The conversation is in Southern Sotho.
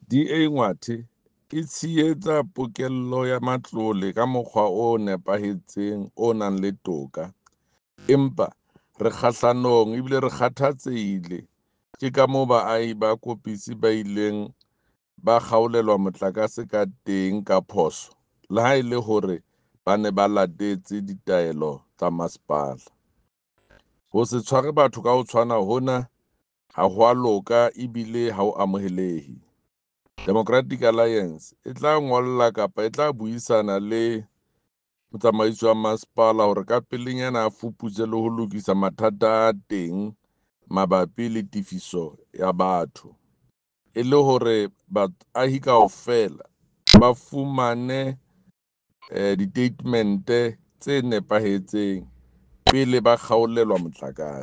DA Ngwathe e tshehetsa pokello ya matlole ka mokgwa o nepahetseng o nang le toka, empa re kgahlanong ebile re kgathatsehile ke kamoo baahi ba Koppis ba ileng ba kgaolelwa motlakase ka teng ka phoso le ha e le hore ba ne ba latetse ditaelo tsa masepala. Ho se tshware batho ka ho tshwana hona ha ho a loka ebile ha ho amohelehe. Democratic Alliance e tla ngolla kapa e tla buisana le motsamaisi wa masepala hore ka pelenyana a fuputse le ho lokisa mathata a teng mabapi le tefiso ya batho, e le hore baahi kaofela ba fumane ditatemente tse nepahetseng pele ba kgaolelwa motlakase.